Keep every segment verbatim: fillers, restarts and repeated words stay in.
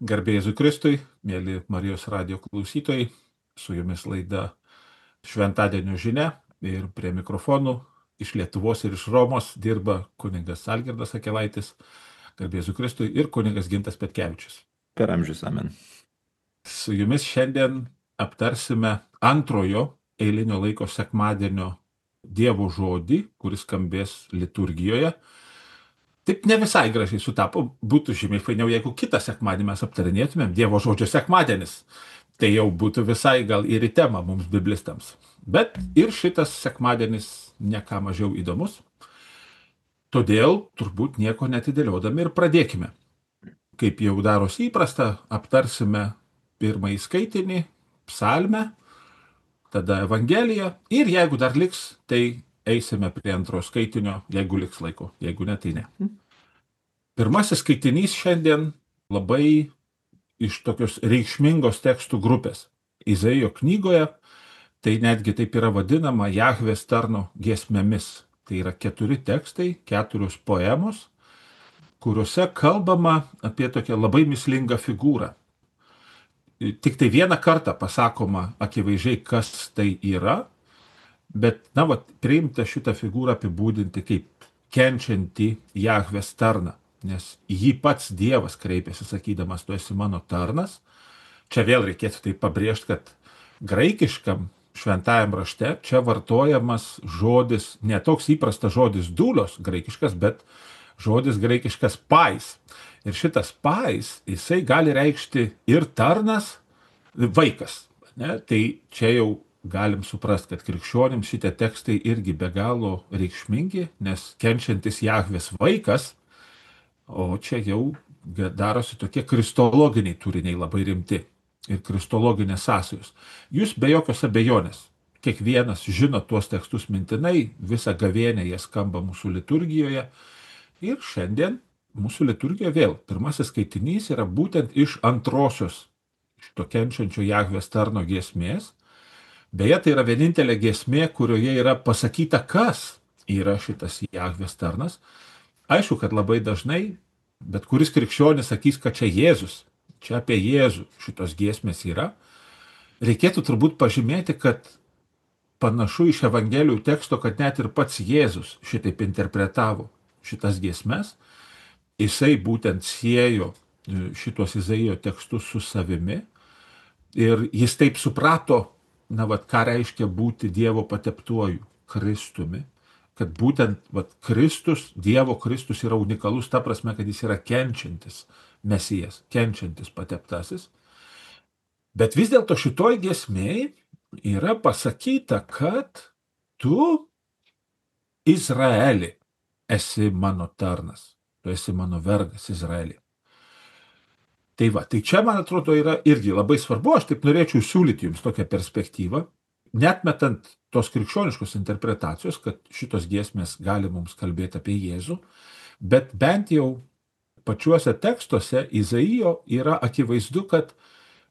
Garbė Jėzui Kristui, mėly Marijos radijo klausytojai, su jumis laida Šventadienio žinia ir prie mikrofonų iš Lietuvos ir iš Romos dirba kunigas Algirdas Akelaitis, garbė Jėzui Kristui ir kunigas Gintas Petkevičius. Per amžius amen. Su jumis šiandien aptarsime antrojo eilinio laiko sekmadienio Dievo žodį, kuris skambės liturgijoje. Taip ne visai gražiai sutapo, būtų žymiai fainiau, jeigu kitą sekmadienį mes aptarinėtumėm Dievo žodžio sekmadienis. Tai jau būtų visai gal ir į temą mums biblistams. Bet ir šitas sekmadienis ne ką mažiau įdomus. Todėl turbūt nieko netidėliodami ir pradėkime. Kaip jau darosi įprasta, aptarsime pirmąjį skaitinį, psalmę, tada Evangeliją ir jeigu dar liks, tai eisime prie antro skaitinio, jeigu liks laiko, jeigu ne, tai ne. Pirmasis skaitinys šiandien labai iš tokios reikšmingos tekstų grupės. Izaijo knygoje tai netgi taip yra vadinama Jahvės tarno giesmėmis. Tai yra keturi tekstai, keturios poemos, kuriuose kalbama apie tokią labai mislingą figūrą. Tik tai vieną kartą pasakoma akivaizdžiai, kas tai yra, bet, na, va, priimta šitą figūrą apibūdinti kaip kenčiantį Jahvės tarną, nes jį pats Dievas kreipėsi, sakydamas, tu esi mano tarnas. Čia vėl reikėtų tai pabrėžti, kad graikiškam šventajam rašte čia vartojamas žodis, ne toks įprastas žodis dūlios graikiškas, bet žodis graikiškas pais. Ir šitas pais, jisai gali reikšti ir tarnas, vaikas. Ne? Tai čia jau galim suprasti, kad krikščionims šitie tekstai irgi be galo reikšmingi, nes kenčiantis Jahvės vaikas, o čia jau darosi tokie kristologiniai turiniai labai rimti ir kristologinės sąsajos. Jūs be jokios abejonės, kiekvienas žino tuos tekstus mintinai, visą gavėnę jie skamba mūsų liturgijoje ir šiandien mūsų liturgija vėl, pirmasis skaitinys yra būtent iš antrosios šito kenčiančio Jahvės tarno giesmės. Beje, tai yra vienintelė giesmė, kurioje yra pasakyta, kas yra šitas Jahvės tarnas. Aišku, kad labai dažnai, bet kuris krikščionis sakys, kad čia Jėzus, čia apie Jėzų šitos giesmės yra. Reikėtų turbūt pažymėti, kad panašu iš Evangelijų teksto, kad net ir pats Jėzus šitaip interpretavo šitas giesmes. Jisai būtent siejo šitos Izaijo tekstus su savimi ir jis taip suprato, na, vat, ką reiškia būti Dievo pateptuoju Kristumi, kad būtent vat, Kristus, Dievo Kristus yra unikalus, ta prasme, kad jis yra kenčiantis Mesijas, kenčiantis pateptasis. Bet vis dėlto šitoj giesmėj yra pasakyta, kad tu, Izraeli, esi mano tarnas. Tu esi mano vergas Izraelį. Tai va, tai čia, man atrodo, yra irgi labai svarbu, aš taip norėčiau siūlyti jums tokią perspektyvą, netmetant tos krikščioniškos interpretacijos, kad šitos giesmės gali mums kalbėti apie Jėzų, bet bent jau pačiuose tekstuose Izaijo yra akivaizdu, kad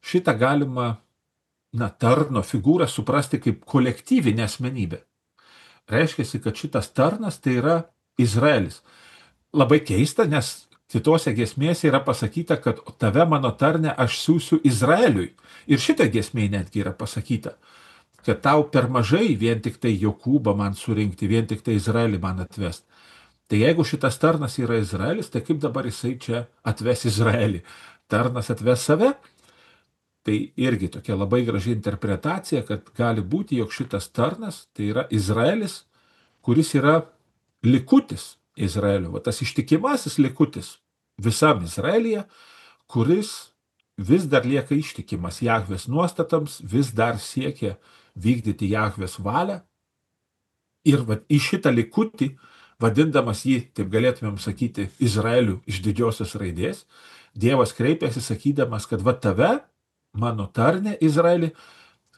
šitą galima, na, tarno figūrą suprasti kaip kolektyvinę asmenybę. Reiškia, kad šitas tarnas tai yra Izraelis. Labai keista, nes kitose giesmėse yra pasakyta, kad tave mano tarne aš siūsiu Izraeliui. Ir šitą giesmėje netgi yra pasakyta, kad tau per mažai vien tik tai Jokūbą man surinkti, vien tik tai Izraelį man atvest. Tai jeigu šitas tarnas yra Izraelis, tai kaip dabar jisai čia atves Izraelį? Tarnas atves save? Tai irgi tokia labai graži interpretacija, kad gali būti, jog šitas tarnas tai yra Izraelis, kuris yra likutis Izraelio, va, tas ištikimasis likutis visam Izraelyje, kuris vis dar lieka ištikimas Jahvės nuostatams, vis dar siekia vykdyti Jahvės valią. Ir va, į šitą likutį, vadindamas jį, taip galėtumėm sakyti, Izraeliu iš didžiosios raidės, Dievas kreipėsi sakydamas, kad va tave, mano tarne Izraelį,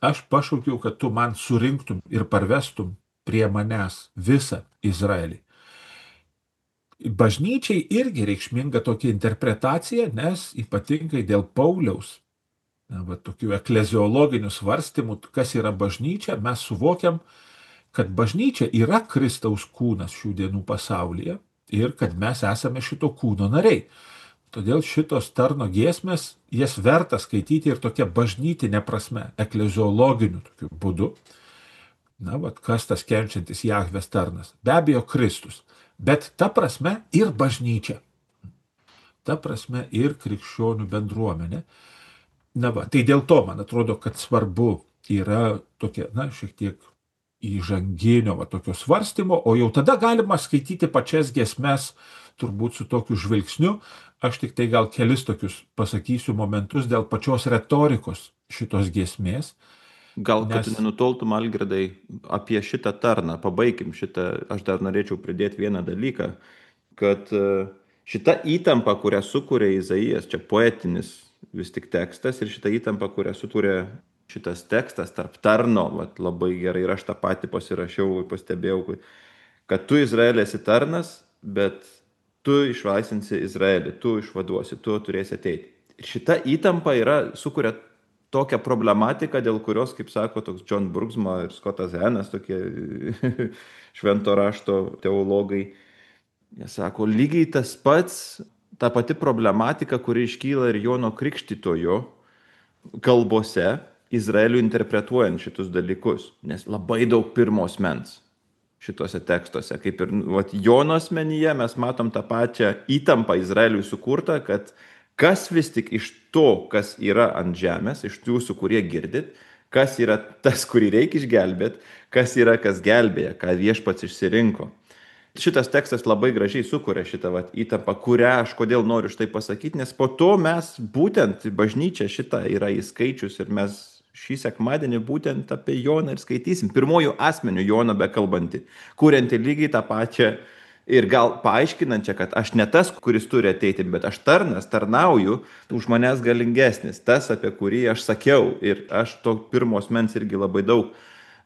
aš pašaukiau, kad tu man surinktum ir parvestum prie manęs visą Izraelį. Bažnyčiai irgi reikšminga tokia interpretacija, nes ypatingai dėl Pauliaus, na, va, tokių ekleziologinių svarstymų, kas yra bažnyčia, mes suvokiam, kad bažnyčia yra Kristaus kūnas šių dienų pasaulyje ir kad mes esame šito kūno nariai. Todėl šitos tarno giesmės, jas verta skaityti ir tokia bažnytinė prasme, ekleziologiniu tokiu būdu. Na, vat kas tas kenčiantis Jahvės tarnas? Be abejo, Kristus. Bet ta prasme ir bažnyčia. Ta prasme ir krikščionių bendruomenė. Na va, tai dėl to, man atrodo, kad svarbu yra tokia, na, šiek tiek įžanginio, va, tokio svarstymo, o jau tada galima skaityti pačias giesmes, turbūt su tokiu žvilgsniu. Aš tik tai gal kelis tokius pasakysiu momentus dėl pačios retorikos šitos giesmės. Gal, kad tu Nes nenutoltum, Algirdai, apie šitą tarną, pabaikim šitą, aš dar norėčiau pridėti vieną dalyką, kad e, šita įtampa, kurią sukuria Izaijas, čia poetinis vis tik tekstas, ir šita įtampa, kurią sukuria šitas tekstas tarp tarno, vat, labai gerai, ir aš tą patį pasirašiau, pastebėjau, kad tu Izraelė esi tarnas, bet tu išlaisinsi Izraelį, tu išvaduosi, tu turėsi ateiti. Ir šita įtampa yra, sukuria tokią problematiką, dėl kurios, kaip sako toks John Brugsma ir Scottas Henas, tokie švento rašto teologai, jie sako, lygiai tas pats, ta pati problematika, kuri iškyla ir Jono Krikštytojo kalbose, Izraeliui interpretuojant šitus dalykus, nes labai daug pirmos mens šituose tekstuose. Kaip ir vat, Jono asmenyje mes matom tą pačią įtampą Izraeliui sukurtą, kad kas vis tik iš to, kas yra ant žemės, iš jūsų, kurie girdit, kas yra tas, kurį reikia išgelbėti, kas yra, kas gelbėja, ką viešpats išsirinko. Šitas tekstas labai gražiai sukuria šitą vat, įtampą, kurią aš kodėl noriu štai pasakyti, nes po to mes būtent bažnyčia šitą yra įskaičius ir mes šį sekmadienį būtent apie Joną ir skaitysim. Pirmojų asmenių Joną bekalbantį, kuriantį lygiai tą pačią ir gal paaiškinančią, kad aš ne tas, kuris turi ateiti, bet aš tarnas, tarnauju, už manęs galingesnis, tas, apie kurį aš sakiau. Ir aš to pirmos mens irgi labai daug.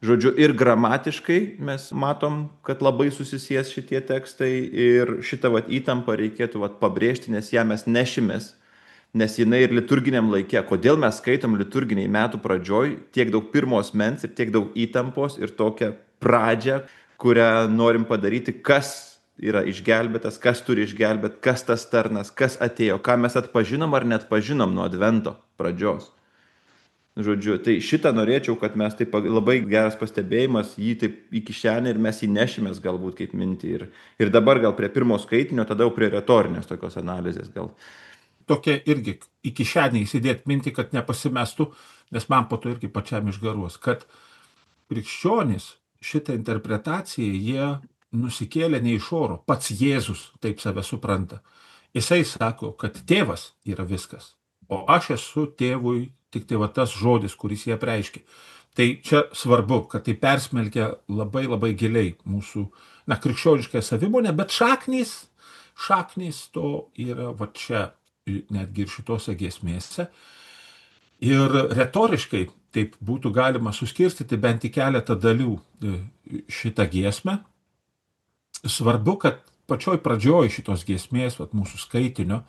Žodžiu, ir gramatiškai mes matom, kad labai susisies šitie tekstai ir šitą vat, įtampą reikėtų vat, pabrėžti, nes ją mes nešimės, nes jinai ir liturginiam laikė. Kodėl mes skaitom liturginiai metų pradžioj tiek daug pirmos mens ir tiek daug įtampos ir tokią pradžią, kurią norim padaryti, kas yra išgelbėtas, kas turi išgelbėti, kas tas tarnas, kas atėjo, ką mes atpažinom ar net pažinom nuo advento pradžios. Žodžiu, tai šitą norėčiau, kad mes taip labai geras pastebėjimas, jį taip į kišenę ir mes jį nešimės galbūt kaip mintį. Ir, ir dabar gal prie pirmo skaitinio, tada jau prie retorinės tokios analizės gal. Tokia irgi į kišenę įsidėti mintį, kad nepasimestų, nes man po to irgi pačiam išgaruos, kad krikščionys šitą interpretaciją jie nusikėlė ne iš oro, pats Jėzus taip save supranta. Jisai sako, kad tėvas yra viskas, o aš esu tėvui tik tai va tas žodis, kuris jie apreiškia. Tai čia svarbu, kad tai persmelkia labai labai giliai mūsų, na, krikščionišką savimonę, bet šaknys, šaknys to yra va čia, netgi ir šitose giesmėse. Ir retoriškai taip būtų galima suskirstyti bent į keletą dalių šitą giesmę. Svarbu, kad pačioj pradžioj šitos giesmės, vat, mūsų skaitinio,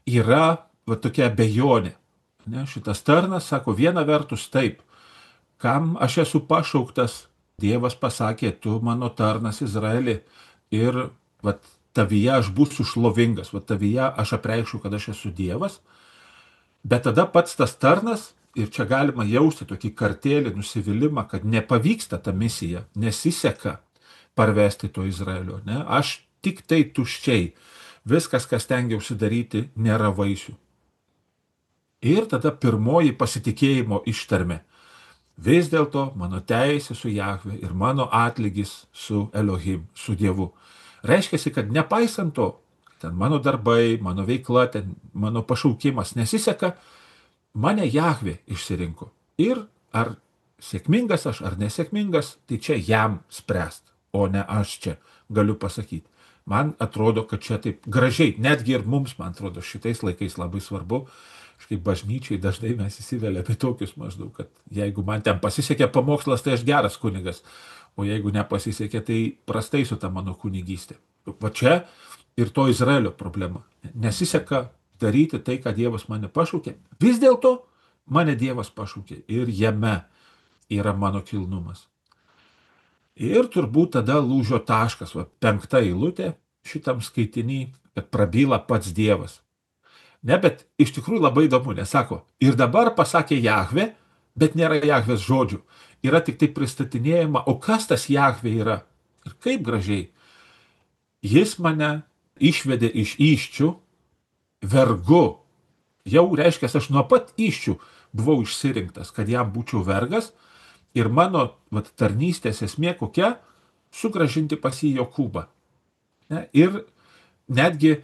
yra vat, tokia abejonė. Ne, šitas tarnas sako, viena vertus taip, kam aš esu pašauktas, Dievas pasakė, tu mano tarnas Izraeli ir vat, tavyje aš būsiu šlovingas, vat, tavyje aš apreikščiau, kad aš esu Dievas, bet tada pats tas tarnas, ir čia galima jausti tokį kartėlį, nusivylimą, kad nepavyksta ta misija, nesiseka parvesti to Izraelio. Ne? Aš tik tai tuščiai. Viskas, kas tengiausi daryti, nėra vaisių. Ir tada pirmoji pasitikėjimo ištarmė. Vis dėlto mano teisė su Jahve ir mano atlygis su Elohim, su Dievu. Reiškia, kad nepaisant to, ten mano darbai, mano veikla, ten mano pašaukimas nesiseka, mane Jahve išsirinko. Ir ar sėkmingas aš, ar nesėkmingas, tai čia jam spręst. O ne aš čia galiu pasakyti. Man atrodo, kad čia taip gražiai, netgi ir mums, man atrodo, šitais laikais labai svarbu, kaip bažnyčiai dažnai mes įsiveliame tokius maždaug, kad jeigu man ten pasisekė pamokslas, tai aš geras kunigas, o jeigu nepasisekė, tai prastai su ta mano kunigystė. Va čia ir to Izraelio problema. Nesiseka daryti tai, ką Dievas mane pašaukė. Vis dėlto mane Dievas pašaukė ir jame yra mano kilnumas. Ir turbūt tada lūžio taškas, va, penkta eilutė šitam skaitinį, kad prabyla pats Dievas. Ne, bet iš tikrųjų labai įdomu, nes sako, ir dabar pasakė Jahve, bet nėra Jahvės žodžių. Yra tik tai pristatinėjama, o kas tas Jahve yra? Ir kaip gražiai. Jis mane išvedė iš įščių vergu. Jau reiškia, aš nuo pat įščių buvau išsirinktas, kad jam būčiau vergas. Ir mano vat, tarnystės esmė kokia? Sugražinti pas jį Jokūbą. Ne? Ir netgi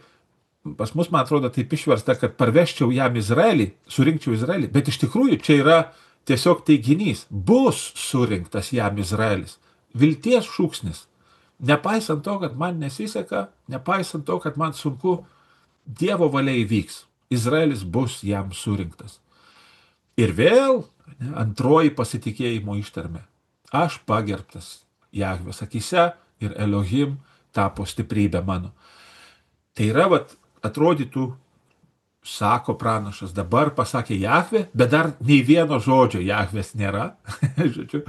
pas mus, man atrodo, taip išversta, kad parveščiau jam Izraelį, surinkčiau Izraelį, bet iš tikrųjų čia yra tiesiog teiginys. Bus surinktas jam Izraelis. Vilties šūksnis. Nepaisant to, kad man nesiseka, nepaisant to, kad man sunku, Dievo valia įvyks. Izraelis bus jam surinktas. Ir vėl ne, antroji pasitikėjimo ištarmė. Aš pagerbtas Jahvės akyse ir Elohim tapo stiprybė mano. Tai yra, vat, atrodytų, sako pranašas, dabar pasakė Jahvė, bet dar nei vieno žodžio Jahvės nėra. Žodžiu,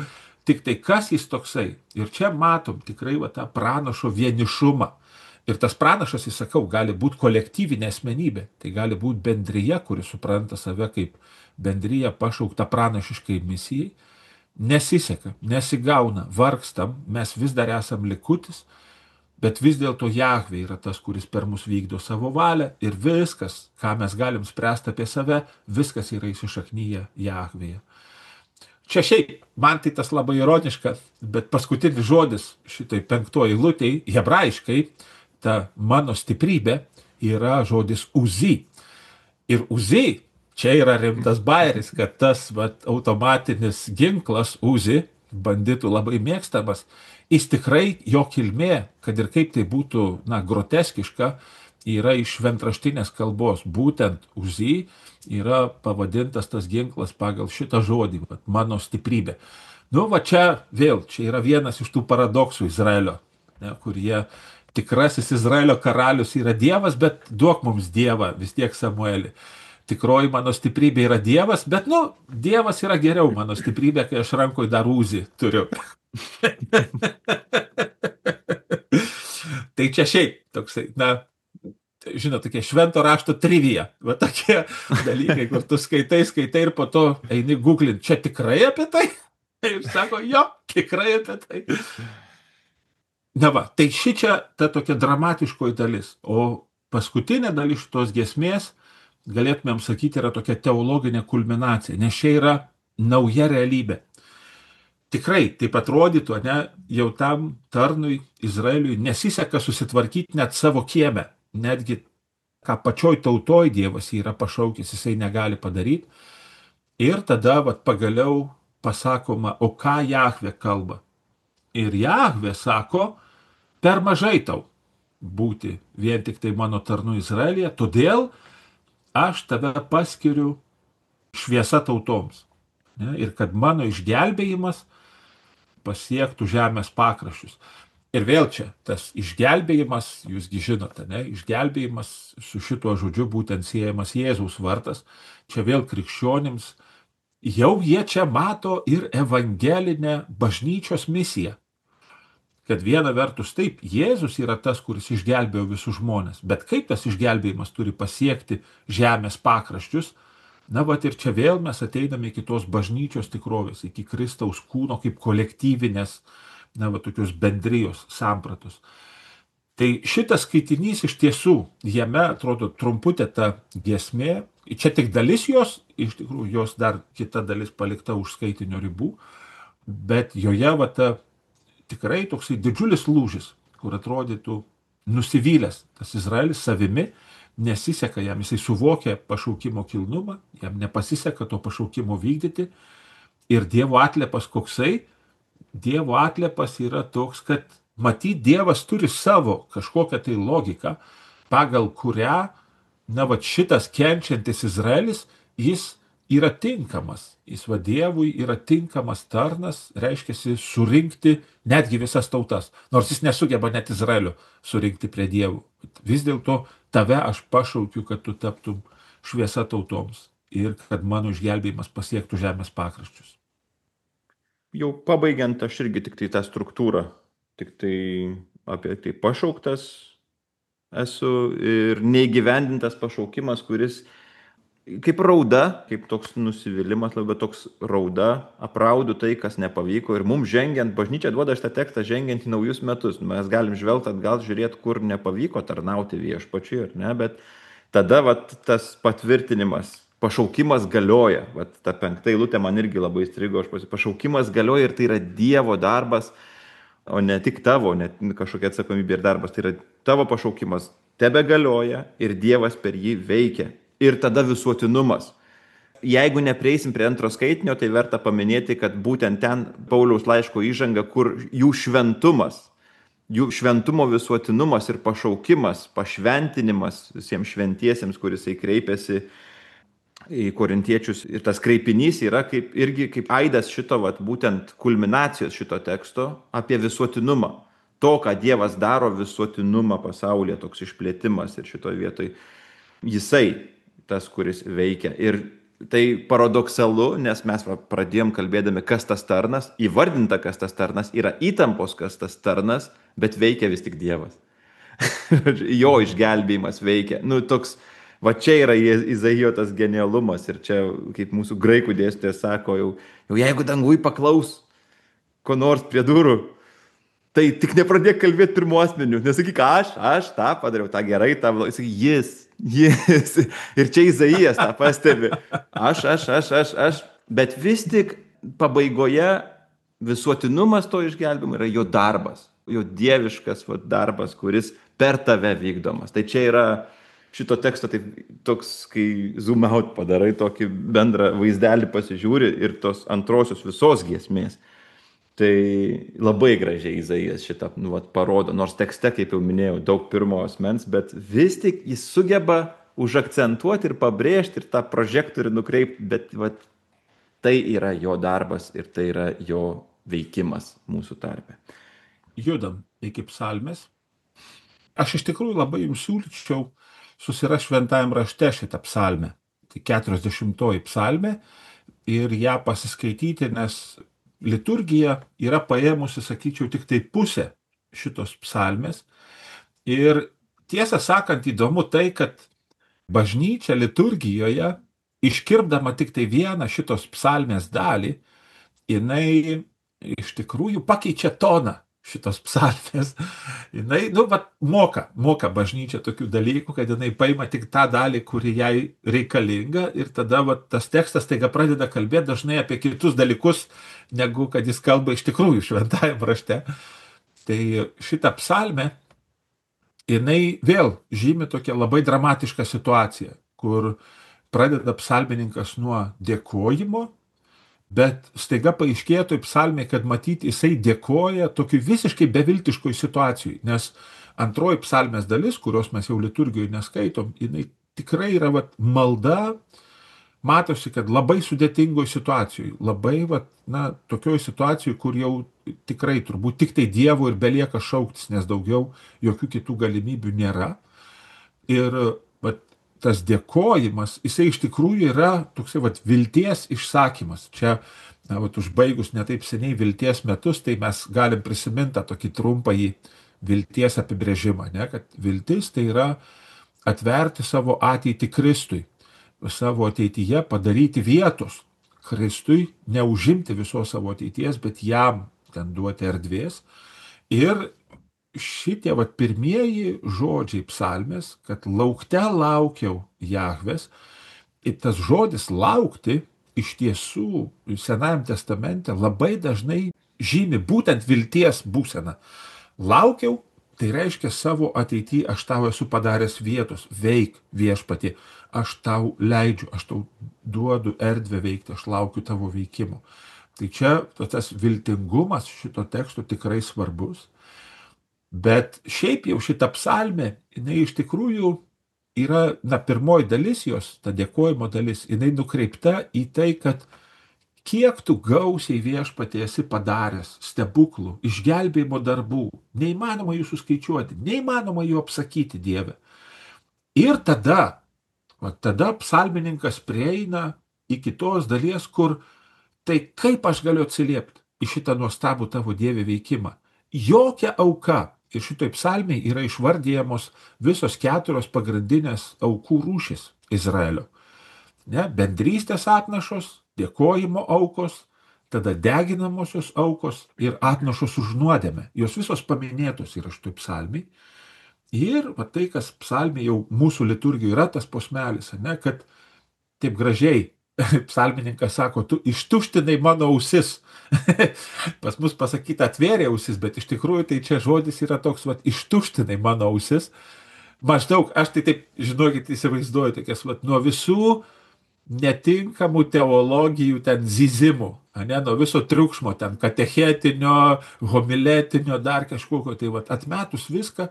tik tai kas jis toksai. Ir čia matom tikrai va, tą pranašo vienišumą. Ir tas pranašas, jis sakau, gali būti kolektyvinė asmenybė. Tai gali būti bendryje, kuri supranta save kaip bendryje pašaukta pranašiškai misijai. Nesiseka, nesigauna, vargstam, mes vis dar esam likutis, bet vis dėlto Jahvė yra tas, kuris per mus vykdo savo valią ir viskas, ką mes galim spręsti apie save, viskas yra įsišaknyje Jahvėje. Čia šiaip, man tai tas labai ironiška, bet paskutinis žodis šitai penktoj eilutėj, hebrajiškai, ta mano stiprybė yra žodis uzi. Ir uzi, čia yra rimtas bairis, kad tas vat, automatinis ginklas uzi, banditų labai mėgstamas, jis tikrai jo kilmė, kad ir kaip tai būtų na, groteskiška, yra iš šventraštinės kalbos. Būtent uzi yra pavadintas tas ginklas pagal šitą žodį, vat, mano stiprybė. Nu, va čia vėl, čia yra vienas iš tų paradoksų Izraelio, ne, kur jie tikrasis Izraelio karalius yra Dievas, bet duok mums Dievą vis tiek Samuelį. Tikroji mano stiprybė yra Dievas, bet, nu, Dievas yra geriau mano stiprybė, kai aš rankoje dar uzį turiu. Tai čia šiaip toksai, na, žinot, tokie švento rašto trivija, va tokie dalykai, kur tu skaitai, skaitai ir po to eini googlint, čia tikrai apie tai? Ir sako, jo, tikrai apie tai. Na va, tai ši čia ta tokia dramatiškoji dalis, o paskutinė dalis šitos giesmės, galėtumėm sakyti, yra tokia teologinė kulminacija, nes čia yra nauja realybė. Tikrai, taip atrodytų, ne, jau tam tarnui Izraeliui nesiseka susitvarkyti net savo kieme, netgi ką pačioj tautoj Dievas yra pašaukęs, jisai negali padaryti. Ir tada vat, pagaliau pasakoma, o ką Jahvė kalba. Ir Jahvė sako, per mažai tau būti vien tik tai mano tarnu Izraelyje, todėl aš tave paskiriu šviesa tautoms. Ne? Ir kad mano išgelbėjimas pasiektų žemės pakraščius. Ir vėl čia tas išgelbėjimas, jūsgi žinote, ne? Išgelbėjimas su šituo žodžiu būtent siejamas Jėzaus vardas. Čia vėl krikščionims, jau jie čia mato ir evangelinę bažnyčios misiją. Kad viena vertus taip, Jėzus yra tas, kuris išgelbėjo visus žmonės, bet kaip tas išgelbėjimas turi pasiekti žemės pakraščius, na, vat ir čia vėl mes ateiname iki tos bažnyčios tikrovės, iki Kristaus kūno kaip kolektyvinės, na, va, tokios bendrijos sampratos. Tai šitas skaitinys iš tiesų, jame atrodo trumputė ta giesmė, čia tik dalis jos, iš tikrųjų jos dar kita dalis palikta už skaitinio ribų, bet joje va ta tikrai toksai didžiulis lūžis, kur atrodytų nusivylęs tas Izraelis savimi, nesiseka jam, jisai suvokia pašaukimo kilnumą, jam nepasiseka to pašaukimo vykdyti ir Dievo atliepas koksai, Dievo atliepas yra toks, kad matyt Dievas turi savo kažkokią tai logiką, pagal kurią, na, va šitas kenčiantis Izraelis, jis yra tinkamas, jis va Dievui yra tinkamas tarnas, reiškiasi surinkti netgi visas tautas, nors jis nesugeba net Izraelio surinkti prie Dievų. Vis dėlto tave aš pašaukiu, kad tu taptum šviesa tautoms ir kad mano išgelbėjimas pasiektų žemės pakraščius. Jau pabaigiant, aš irgi tik tai tą struktūrą, tik tai apie tai pašauktas, esu ir neįgyvendintas pašaukimas, kuris kaip rauda, kaip toks nusivylimas, labai toks rauda, apraudu tai, kas nepavyko. Ir mums žengiant, bažnyčia duoda šitą tekstą žengiant į naujus metus. Mes galim žvelgti atgal, žiūrėti, kur nepavyko tarnauti viešpačiui, ar ne, bet tada vat, tas patvirtinimas, pašaukimas galioja. Vat, ta penkta eilutė man irgi labai įstrigo, aš pasi- pašaukimas galioja ir tai yra Dievo darbas, o ne tik tavo, ne kažkokia atsakomybė ir darbas. Tai yra tavo pašaukimas tebe galioja ir Dievas per jį veikia. Ir tada visuotinumas. Jeigu neprieisim prie antro skaitinio, tai verta paminėti, kad būtent ten Pauliaus laiško įžanga, kur jų šventumas, jų šventumo visuotinumas ir pašaukimas, pašventinimas visiems šventiesiems, kuris jisai kreipiasi į korintiečius. Ir tas kreipinys yra kaip, irgi kaip aidas šito, vat, būtent kulminacijos šito teksto apie visuotinumą. To, ką Dievas daro, visuotinumą pasaulyje, toks išplėtimas ir šitoje vietoje jisai tas, kuris veikia. Ir tai paradoksalu, nes mes va, pradėjom kalbėdami, kas tas tarnas, įvardinta, kas tas tarnas, yra įtampos, kas tas tarnas, bet veikia vis tik Dievas. Jo išgelbėjimas veikia. Nu, toks, va čia yra Izaijo tas genialumas ir čia, kaip mūsų graikų dėstytojas sako, jau, jau jeigu dangui paklaus ko nors prie durų, tai tik nepradėk kalbėti pirmu asmeniu. Nesakyk, aš, aš tą padariau, tą gerai, tą blogai. Sakyk, jis, jis. Ir čia Izaijas tą pastebi. Aš, aš, aš, aš, aš. Bet vis tik pabaigoje visuotinumas to išgelbimo yra jo darbas. Jo dieviškas va, darbas, kuris per tave vykdomas. Tai čia yra šito teksto taip, toks, kai zoom out padarai, tokį bendrą vaizdelį pasižiūri ir tos antrosios visos giesmės. Tai labai gražiai Izaijas šitą nu, vat, parodo, nors tekste, kaip jau minėjau, daug pirmo asmens, bet vis tik jis sugeba užakcentuoti ir pabrėžti ir tą prožektorių nukreipti, bet vat, tai yra jo darbas ir tai yra jo veikimas mūsų tarpe. Judam iki psalmės. Aš iš tikrųjų labai jums siūlyčiau susirasti šventajam rašte šitą psalmę. Tai keturiasdešimtoji psalmė ir ją pasiskaityti, nes liturgija yra paėmusi, sakyčiau, tik tai pusę šitos psalmės. Ir tiesą sakant, įdomu tai, kad bažnyčia liturgijoje, iškirpdama tik tai vieną šitos psalmės dalį, jinai iš tikrųjų pakeičia toną šitos psalmės. Jinai, nu, vat, moka, moka bažnyčia tokių dalykų, kad jinai paima tik tą dalį, kuri jai reikalinga ir tada vat, tas tekstas taiga pradeda kalbėti dažnai apie kitus dalykus, negu kad jis kalba iš tikrųjų šventajam rašte. Tai šita psalmė, jinai vėl žymi tokią labai dramatišką situaciją, kur pradeda psalmininkas nuo dėkojimo, bet staiga paaiškėjo toj psalmė, kad matyti jisai dėkoja tokiu visiškai beviltiškoj situacijai, nes antroji psalmės dalis, kurios mes jau liturgijoje neskaitom, jinai tikrai yra vat, malda, matosi, kad labai sudėtingoj situacijoj, labai vat, na, tokioj situacijoj, kur jau tikrai turbūt tik tai Dievo ir belieka šauktis, nes daugiau jokių kitų galimybių nėra. Ir vat, tas dėkojimas, jisai iš tikrųjų yra toksai vat, vilties išsakymas. Čia, na, vat, užbaigus netaip seniai vilties metus, tai mes galim prisiminti tą tokį trumpąjį vilties apibrėžimą, ne? Kad viltis tai yra atverti savo ateitį Kristui, savo ateityje padaryti vietos Kristui, neužimti visos savo ateities, bet jam ten duoti erdvės. Ir šitie vat, pirmieji žodžiai psalmės, kad laukte laukiau Jahvės, ir tas žodis laukti iš tiesų Senajam testamente labai dažnai žymi būtent vilties būseną. Laukiau, tai reiškia savo ateityje aš tau esu padaręs vietos, veik viešpatie, aš tau leidžiu, aš tau duodu erdvę veikti, aš laukiu tavo veikimo. Tai čia tas viltingumas šito teksto tikrai svarbus. Bet šiaip jau šita psalmė, jinai iš tikrųjų yra, na, pirmoji dalis jos, ta dėkojimo dalis, jinai nukreipta į tai, kad kiek tu gausiai viešpatie esi padaręs stebuklų, išgelbėjimo darbų, neįmanoma jų suskaičiuoti, neįmanoma jų apsakyti, Dieve. Ir tada, va, tada psalmininkas prieina iki tos dalies, kur tai kaip aš galiu atsiliepti į šitą nuostabų tavo Dieve veikimą. Jokia auka, Ir šitoj psalmiai yra išvardyjamos visos keturios pagrindinės aukų rūšis Izraelio. Ne, bendrystės atnašos, dėkojimo aukos, tada deginamosios aukos ir atnašos už nuodėmę. Jos visos paminėtos yra šitoj psalmiai. Ir va tai, kas psalmiai jau mūsų liturgijoje yra tas posmelis, ne, kad taip gražiai psalmininkas sako, tu ištuštinai mano ausis. Pas mus pasakyta atvėrė ausis, bet iš tikrųjų tai čia žodis yra toks, va, ištuštinai mano ausis. Maždaug, aš tai taip, žinokit, įsivaizduoju, tokias, va, nuo visų netinkamų teologijų ten zizimų, ne, nuo viso triukšmo, ten katechetinio, homiletinio, dar kažkokio, tai va, atmetus viską,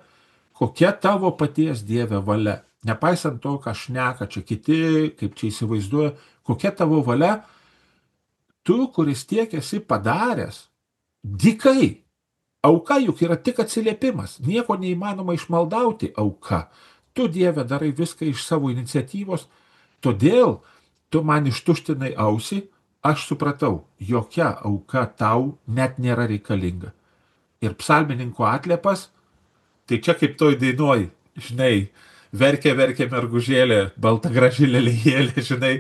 kokia tavo paties Dieve valia. Nepaisant to, ką šneka čia kiti, kaip čia įsivaizduoja, kokia tavo valia, tu, kuris tiek esi padaręs, dykai. Auka juk yra tik atsiliepimas, nieko neįmanoma išmaldauti auka. Tu, Dieve, darai viską iš savo iniciatyvos, todėl tu man ištuštinai ausį, aš supratau, jokia auka tau net nėra reikalinga. Ir psalmininko atliepas, tai čia kaip toj dainoj, žinai, verkė, verkė mergužėlė, balta graži lelijėlė, žinai,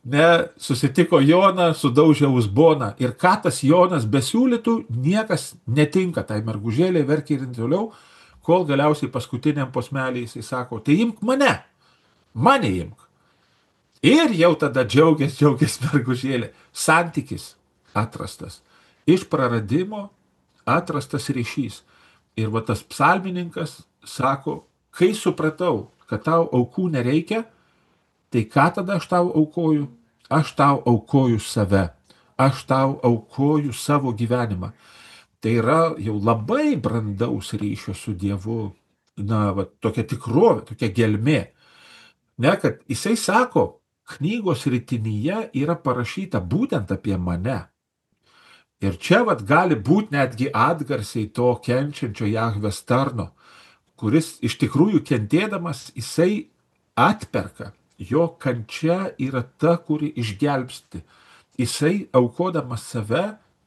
ne, susitiko Joną, sudaužė uzboną. Ir ką tas Jonas besiūlytų, niekas netinka tai mergužėlė, verkė ir toliau, kol galiausiai paskutiniam posmelį jisai sako, tai imk mane, mane imk. Ir jau tada džiaugias, džiaugias mergužėlė. Santykis atrastas. Iš praradimo atrastas ryšys. Ir va tas psalmininkas sako, kai supratau, kad tau aukų nereikia, tai ką tada aš tau aukoju? Aš tau aukoju save. Aš tau aukoju savo gyvenimą. Tai yra jau labai brandaus ryšio su Dievu, na, va, tokia tikrovė, tokia gelmė. Ne, kad jisai sako, knygos ritinyje yra parašyta būtent apie mane. Ir čia vat gali būti netgi atgarsiai to kenčiančio Jahvės tarno, kuris iš tikrųjų kentėdamas, jisai atperka. Jo kančia yra ta, kuri išgelbsti. Jisai aukodamas save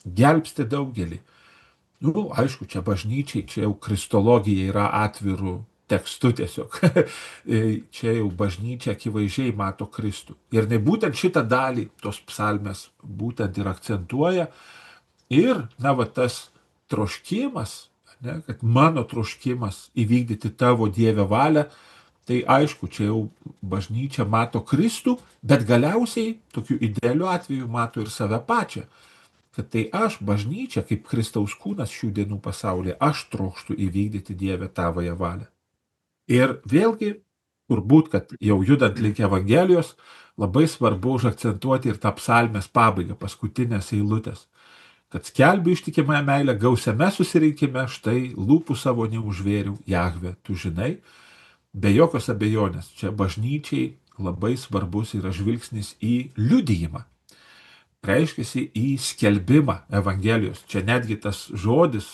gelbsti daugelį. Nu, aišku, čia bažnyčiai, čia jau kristologija yra atvirų tekstų tiesiog. Čia jau bažnyčia akivaizdžiai mato Kristų. Ir ne būtent šitą dalį tos psalmės būtent ir akcentuoja. Ir, na, va, tas troškimas, ne, kad mano troškimas įvykdyti tavo Dieve valią, tai aišku, čia jau bažnyčia mato Kristų, bet galiausiai tokiu idealiu atveju mato ir save pačią. Kad tai aš, bažnyčia, kaip Kristaus kūnas šių dienų pasaulyje, aš trokštų įvykdyti Dieve tavąją valią. Ir vėlgi, turbūt, kad jau judant link Evangelijos, labai svarbu užakcentuoti ir tą psalmės pabaigą, paskutinės eilutės. Kad skelbiu ištikimąją meilę gausiame susirinkime, štai lūpų savo neužvėriau, Jahve, tu žinai. Be jokios abejonės, čia bažnyčiai labai svarbus yra žvilgsnis į liudijimą. Reiškiasi į skelbimą Evangelijos. Čia netgi tas žodis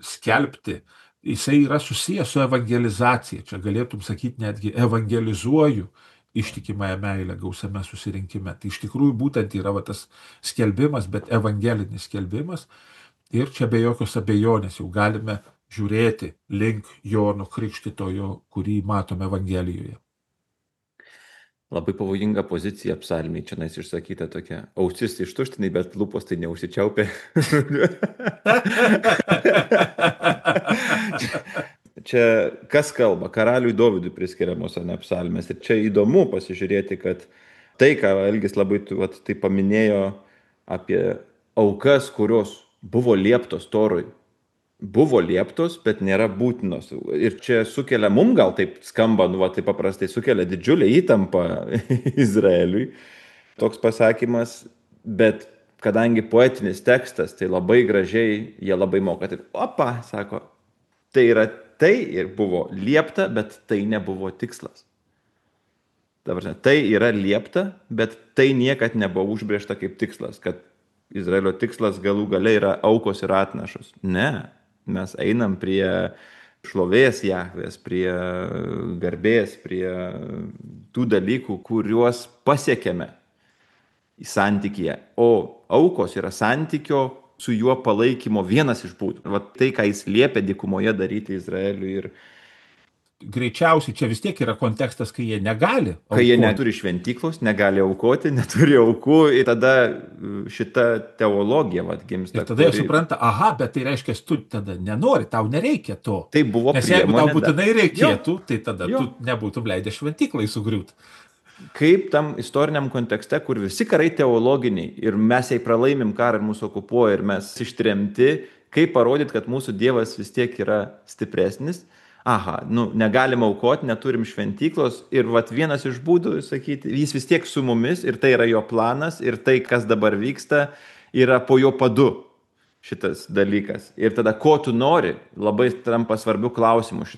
skelbti, jisai yra susijęs su evangelizacija. Čia galėtum sakyti netgi evangelizuoju ištikimąją meilę gausiame susirinkime. Tai iš tikrųjų būtent yra va, tas skelbimas, bet evangelinis skelbimas. Ir čia be jokios abejonės jau galime žiūrėti link Jono Krikštytojo, kurį matome Evangelijoje. Labai pavojinga pozicija psalmiai, čia nais išsakyta tokia. Ausis ištuštinai, bet lūpos tai neužsičiaupė. Čia kas kalba? Karaliui Dovydui priskiriamos ne psalmės. Ir čia įdomu pasižiūrėti, kad tai, ką Algis labai vat, tai paminėjo apie aukas, kurios buvo lieptos Torui, buvo lieptos, bet nėra būtinos. Ir čia sukelia, mum gal taip skamba, nu, va, taip paprastai sukelia didžiulę įtampą Izraeliui toks pasakymas, bet kadangi poetinis tekstas, tai labai gražiai, jie labai moka. Taip, opa, sako, tai yra tai ir buvo liepta, bet tai nebuvo tikslas. Dabar, tai yra liepta, bet tai niekad nebuvo užbrėžta kaip tikslas, kad Izraelio tikslas galų gale yra aukos ir atnašos. Ne, mes einam prie šlovės Jahvės, prie garbės, prie tų dalykų, kuriuos pasiekėme į santykyje. O aukos yra santykio su juo palaikymo vienas iš būdų. Va tai, ką jis liepia dykumoje daryti Izraeliui ir Greičiausiai čia vis tiek yra kontekstas, kai jie negali kai jie aukoti. neturi šventyklos, negali aukoti, neturi aukų, ir tada šita teologija vat gimsta. Ir tada jie kuri- supranta, aha, bet tai reiškia, tu tada nenori, tau nereikia to. Tai buvo Nes jeigu tau priemonė būtinai dar- reikėtų, tai tada Jo. tu nebūtum leidęs šventyklai sugriūti. Kaip tam istoriniam kontekste, kur visi karai teologiniai ir mes jei pralaimim karą ir mūsų okupuoja ir mes ištremti, kaip parodyti, kad mūsų Dievas vis tiek yra stipresnis. Aha, nu, negalim aukoti, neturim šventyklos ir vat vienas iš būdų sakyti, jis vis tiek su mumis ir tai yra jo planas ir tai, kas dabar vyksta, yra po jo padu šitas dalykas. Ir tada, ko tu nori, labai tampa svarbių klausimų.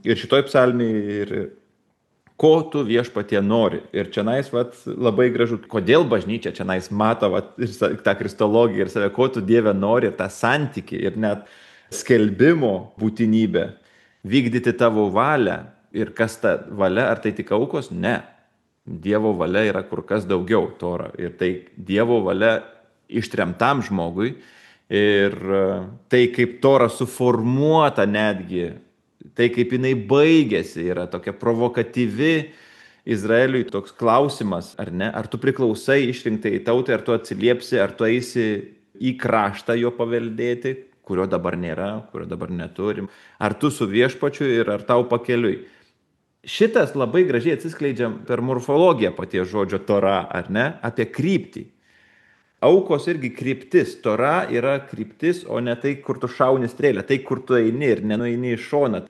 Ir šitoj psalmėje ir ko tu viešpatie nori. Ir čionais vat, labai gražu, kodėl bažnyčia čionais mato vat, ir sa- tą kristologiją ir save, ko tu Dieve nori, ir tą santykį, ir net skelbimo būtinybę, vykdyti tavo valią. Ir kas ta valia, ar tai tik aukos? Ne. Dievo valia yra kur kas daugiau Tora. Ir tai Dievo valia ištremtam žmogui. Ir e, tai kaip Tora suformuota netgi, tai kaip jinai baigėsi, yra tokia provokatyvi Izraeliui toks klausimas, ar ne? Ar tu priklausai išrinktai tautai, ar tu atsiliepsi, ar tu eisi į kraštą jo paveldėti, kurio dabar nėra, kurio dabar neturim. Ar tu su viešpačiu ir ar tau pakeliui. Šitas labai gražiai atsiskleidžia per morfologiją paties žodžio Tora, ar ne? Apie kryptį. Aukos irgi kryptis. Tora yra kryptis, o ne tai, kur tu šauni strėlę, tai, kur tu eini ir nenueini į šoną,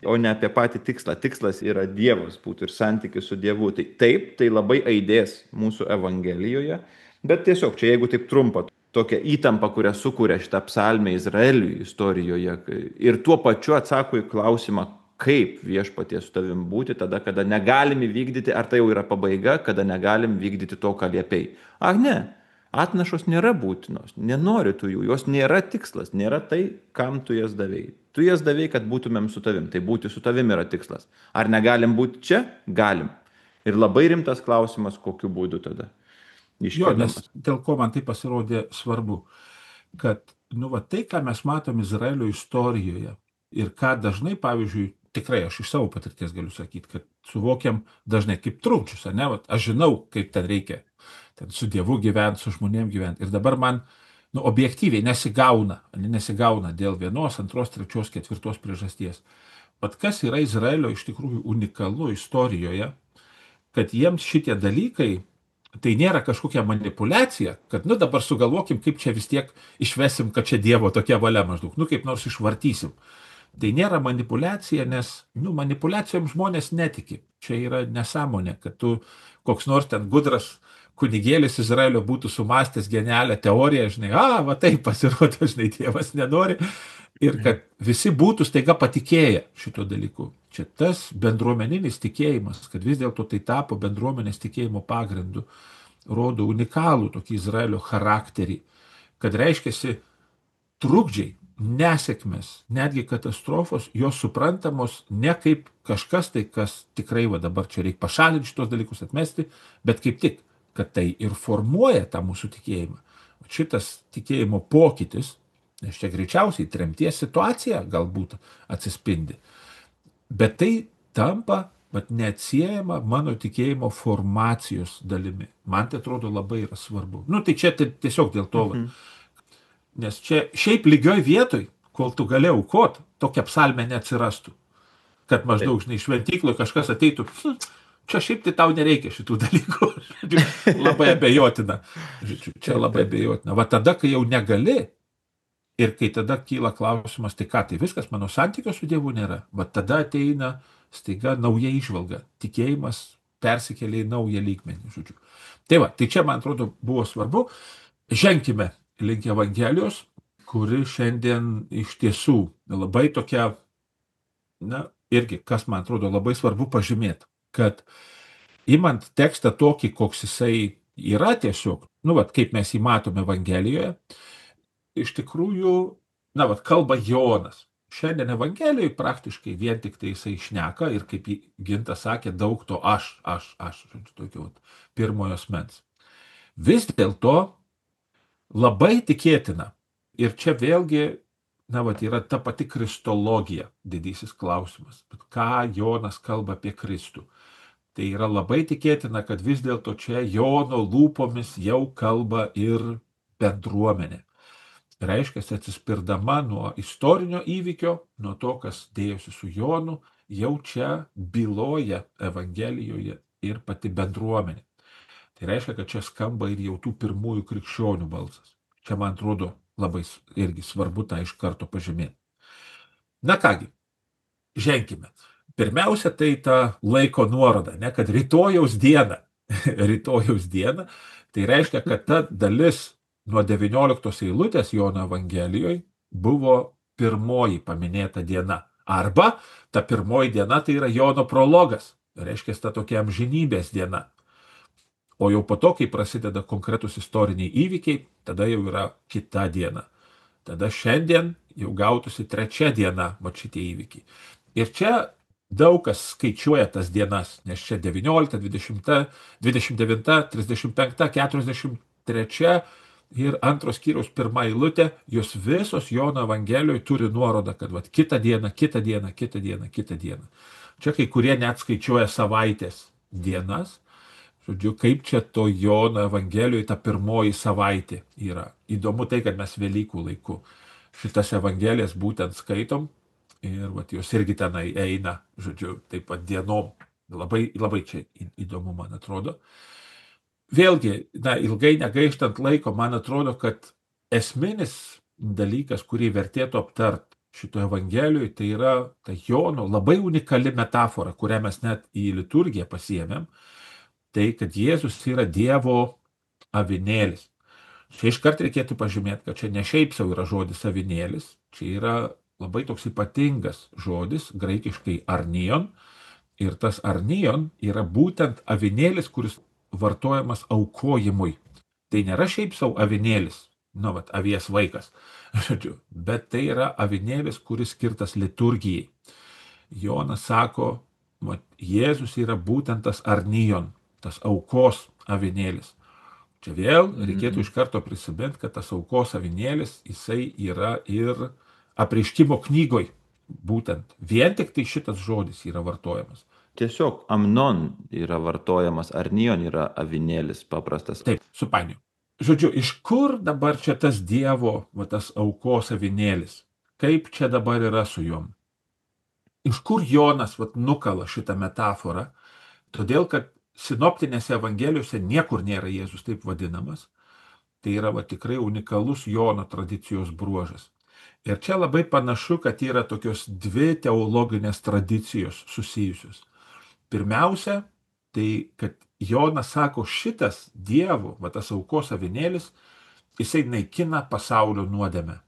o ne apie patį tikslą. Tikslas yra Dievas būtų ir santykis su Dievu. Tai taip, tai labai aidės mūsų Evangelijoje, bet tiesiog čia, jeigu taip trumpa, tokia įtampa, kurią sukuria šitą psalmę Izraeliui istorijoje ir tuo pačiu atsako į klausimą, kaip viešpatie su tavim būti tada, kada negalim įvykdyti, ar tai jau yra pabaiga, kada negalim vykdyti to, ką liepei. Ar ne? Atnašos nėra būtinos, nenori tu jų, jos nėra tikslas, nėra tai, kam tu jas davėjai. Tu jas davėjai, kad būtumėm su tavim, tai būti su tavim yra tikslas. Ar negalim būti čia? Galim. Ir labai rimtas klausimas, kokiu būdu tada. Jo, nes dėl ko man tai pasirodė svarbu, kad nu, va, tai, ką mes matom Izraelio istorijoje ir ką dažnai, pavyzdžiui, tikrai aš iš savo patirties galiu sakyti, kad suvokiam dažnai kaip trukdžius, ar ne? Vat, aš žinau, kaip ten reikia ten su Dievu gyventi, su žmonėm gyventi. Ir dabar man nu, objektyviai nesigauna, nesigauna dėl vienos, antros, trečios, ketvirtos priežasties. Vat kas yra Izraelio iš tikrųjų unikalu istorijoje, kad jiems šitie dalykai tai nėra kažkokia manipulacija, kad nu dabar sugalvokim, kaip čia vis tiek išvesim, kad čia Dievo tokia valia maždaug, nu kaip nors išvartysim. Tai nėra manipulacija, nes nu, manipulacijom žmonės netiki. Čia yra nesąmonė, kad tu koks nors ten gudras kunigėlis Izraelio būtų sumastęs genialią teoriją, žinai, a, va taip pasirodo, žinai, Dievas nenori. Ir kad visi būtų staiga patikėję šito dalyku. Čia tas bendruomeninis tikėjimas, kad vis dėlto tai tapo bendruomenės tikėjimo pagrindu, rodo unikalų tokį Izraelio charakterį, kad reiškiasi trukdžiai, nesėkmės, netgi katastrofos, jos suprantamos ne kaip kažkas tai, kas tikrai va dabar čia reikia pašalinti šitos dalykus, atmesti, bet kaip tik, kad tai ir formuoja tą mūsų tikėjimą. Šitas tikėjimo pokytis, nes čia greičiausiai tremties situacija galbūt atsispindi. Bet tai tampa vat, neatsiejama mano tikėjimo formacijos dalimi. Man tai atrodo labai yra svarbu. Nu tai čia tai tiesiog dėl to. Mhm. Nes čia šiaip lygioj vietoj, kol tu gali aukot, tokia psalmė neatsirastų. Kad maždaug, žinai, šventykloje kažkas ateitų, hm, čia šiaip tai tau nereikia šitų dalykų. Labai abejotina. Čia labai abejotina. Va tada, kai jau negali, ir kai tada kyla klausimas, tai ką, tai viskas, mano santykio su Dievu nėra. Va tada ateina staiga nauja išvalga. Tikėjimas persikelia į naują lygmenį. Žodžiu. Tai va, tai čia, man atrodo, buvo svarbu. Ženkime link Evangelijos, kuri šiandien iš tiesų labai tokia, na, irgi, kas man atrodo labai svarbu pažymėti, kad imant tekstą tokį, koks jisai yra tiesiog, nu, va, kaip mes jį matome Evangelijoje, iš tikrųjų, na, vat, kalba Jonas. Šiandien Evangelijoje praktiškai vien tik tai jisai šneka ir kaip Gintas sakė, daug to aš, aš, aš, žodžiu, tokio pirmojo asmens. Vis dėlto labai tikėtina, Ir čia vėlgi, na, vat, yra ta pati kristologija, didysis klausimas. Bet ką Jonas kalba apie Kristų? Tai yra labai tikėtina, kad vis dėlto čia Jono lūpomis jau kalba ir bendruomenė. Reiškia, atsispirdama nuo istorinio įvykio, nuo to, kas dėjosi su Jonu, jau čia byloja Evangelijoje ir pati bendruomenė. Tai reiškia, kad čia skamba ir jau tų pirmųjų krikščionių balsas. Čia, man atrodo, labai irgi svarbu tą iš karto pažymėti. Na kągi, ženkime. Pirmiausia, tai ta laiko nuoroda, ne, kad rytojaus diena, rytojaus diena, tai reiškia, kad ta dalis nuo devynioliktos eilutės Jono Evangelijoje buvo pirmoji paminėta diena. Arba ta pirmoji diena tai yra Jono prologas, reiškia, ta tokia amžinybės diena. O jau po to, kai prasideda konkretus istoriniai įvykiai, tada jau yra kita diena. Tada šiandien jau gautųsi trečia diena, va šitie įvykiai. Ir čia daug kas skaičiuoja tas dienas, nes čia devyniolikta, dvidešimta, dvidešimt devinta, trisdešimt penkta, keturiasdešimt trečia ir antros skyriaus pirma eilutė, jos visos Jono Evangelijoje turi nuorodą, kad vat, kitą dieną, kitą dieną, kitą dieną, kitą dieną. Čia kai kurie net skaičiuoja savaitės dienas. Žodžiu, kaip čia to Jono Evangelijoje ta pirmoji savaitė yra. Įdomu tai, kad mes Velykų laiku šitas Evangelijas būtent skaitom ir vat, jos irgi tenai eina, žodžiu, taip pat dienom. Labai, labai čia įdomu, man atrodo. Vėlgi, na, ilgai negaištant laiko, man atrodo, kad esminis dalykas, kurį vertėtų aptart šito Evangelijoje, tai yra ta Jono labai unikali metafora, kurią mes net į liturgiją pasiėmėm. Tai, kad Jėzus yra Dievo avinėlis. Čia iškart reikėtų pažymėti, kad čia ne šiaip sau yra žodis avinėlis, čia yra labai toks ypatingas žodis, graikiškai arnion, ir tas arnion yra būtent avinėlis, kuris vartojamas aukojimui. Tai nėra šiaip sau avinėlis, nu, vat, avies vaikas, bet tai yra avinėlis, kuris skirtas liturgijai. Jonas sako, vat, Jėzus yra būtent tas arnion, tas aukos avinėlis. Čia vėl reikėtų iš karto prisimint, kad tas aukos avinėlis, jisai yra ir apreiškimo knygoj. Būtent vien tik tai šitas žodis yra vartojamas. Tiesiog amnon yra vartojamas, arnion yra avinėlis paprastas. Taip, supainiu. Žodžiu, iš kur dabar čia tas Dievo, va, tas aukos avinėlis? Kaip čia dabar yra su juom? Iš kur Jonas va, nukala šitą metaforą? Todėl, kad sinoptinėse Evangelijose niekur nėra Jėzus taip vadinamas. Tai yra va, tikrai unikalus Jono tradicijos bruožas. Ir čia labai panašu, kad yra tokios dvi teologinės tradicijos susijusios. Pirmiausia, tai kad Jonas sako, šitas Dievo, va, tas aukos avinėlis, jisai naikina pasaulio nuodėmę.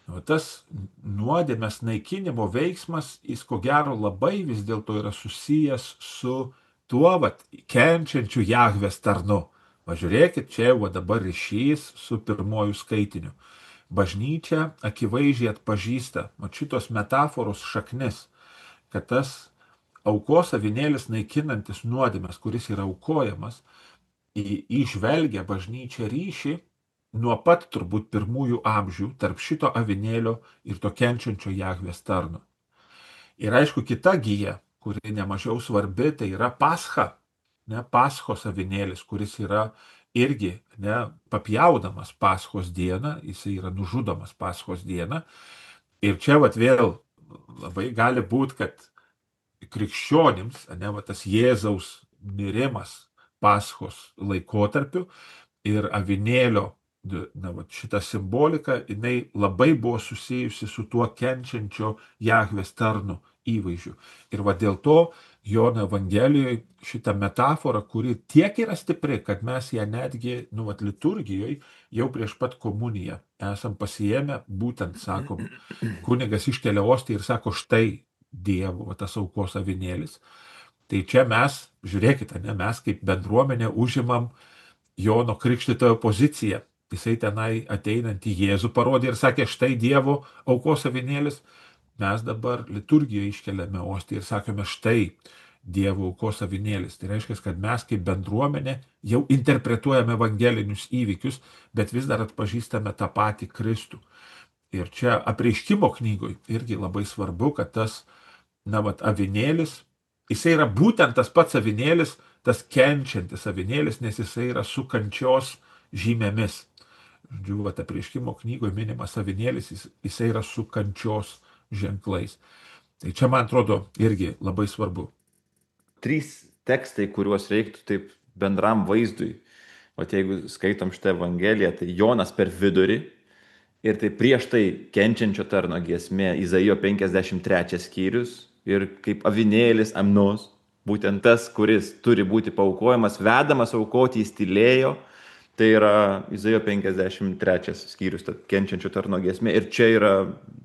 O tas nuodėmės naikinimo veiksmas, jis ko gero labai vis dėlto yra susijęs su tuo, vat, kenčiančiu Jahvės tarnu. Važiūrėkit, čia jau dabar ryšys su pirmojų skaitiniu. Bažnyčia akivaizdžiai atpažįsta, mat šitos metaforos šaknis, kad tas aukos avinėlis naikinantis nuodėmes, kuris yra aukojamas, įžvelgia bažnyčia ryšį nuo pat turbūt pirmųjų amžių tarp šito avinėlio ir to kenčiančio Jahvės tarno. Ir aišku, kita gija, kuri nemažiau svarbi, tai yra pascha, ne, paschos avinėlis, kuris yra irgi ne, papjaudamas paschos dieną, jisai yra nužudomas paschos dieną. Ir čia vat, vėl labai gali būti, kad krikščionims, ne, vat, tas Jėzaus mirimas paschos laikotarpiu ir avinėlio, na, vat, šita simbolika, jinai labai buvo susijusi su tuo kenčiančio Jahvės tarnu įvaizdžiu. Ir va dėl to Jono Evangelijoje šita metafora, kuri tiek yra stipri, kad mes ją netgi, nu, vat, liturgijoje jau prieš pat komuniją esam pasiėmę, būtent, sakom, kunigas iškelia ostiją ir sako, štai Dievo, va, tas aukos avinėlis. Tai čia mes, žiūrėkite, ne, mes kaip bendruomenė užimam Jono Krikštytojo poziciją. Jisai tenai ateinant į Jėzų parodė ir sakė, štai Dievo aukos avinėlis. Mes dabar liturgijoje iškeliame ostiją ir sakome, štai Dievo aukos avinėlis. Tai reiškia, kad mes kaip bendruomenė jau interpretuojame evangelinius įvykius, bet vis dar atpažįstame tą patį Kristų. Ir čia apreiškimo knygoj irgi labai svarbu, kad tas, na, vat, avinėlis, jisai yra būtent tas pats avinėlis, tas kenčiantis avinėlis, nes jisai yra su kančios žymėmis. Žodžiu, vat, apreiškimo knygoje minimas avinėlis, jis, jisai yra su kančios ženklais. Tai čia, man atrodo, irgi labai svarbu. Trys tekstai, kuriuos reiktų taip bendram vaizdui. O jeigu skaitom šitą Evangeliją, tai Jonas per vidurį ir tai prieš tai kenčiančio tarno giesmė, Izaijo penkiasdešimt trečias skyrius ir kaip avinėlis amnos, būtent tas, kuris turi būti paukojamas, vedamas aukoti, jis tylėjo. Tai yra Izaijo penkiasdešimt trečias skyrius, ta kenčiančio tarno giesmė. Ir čia yra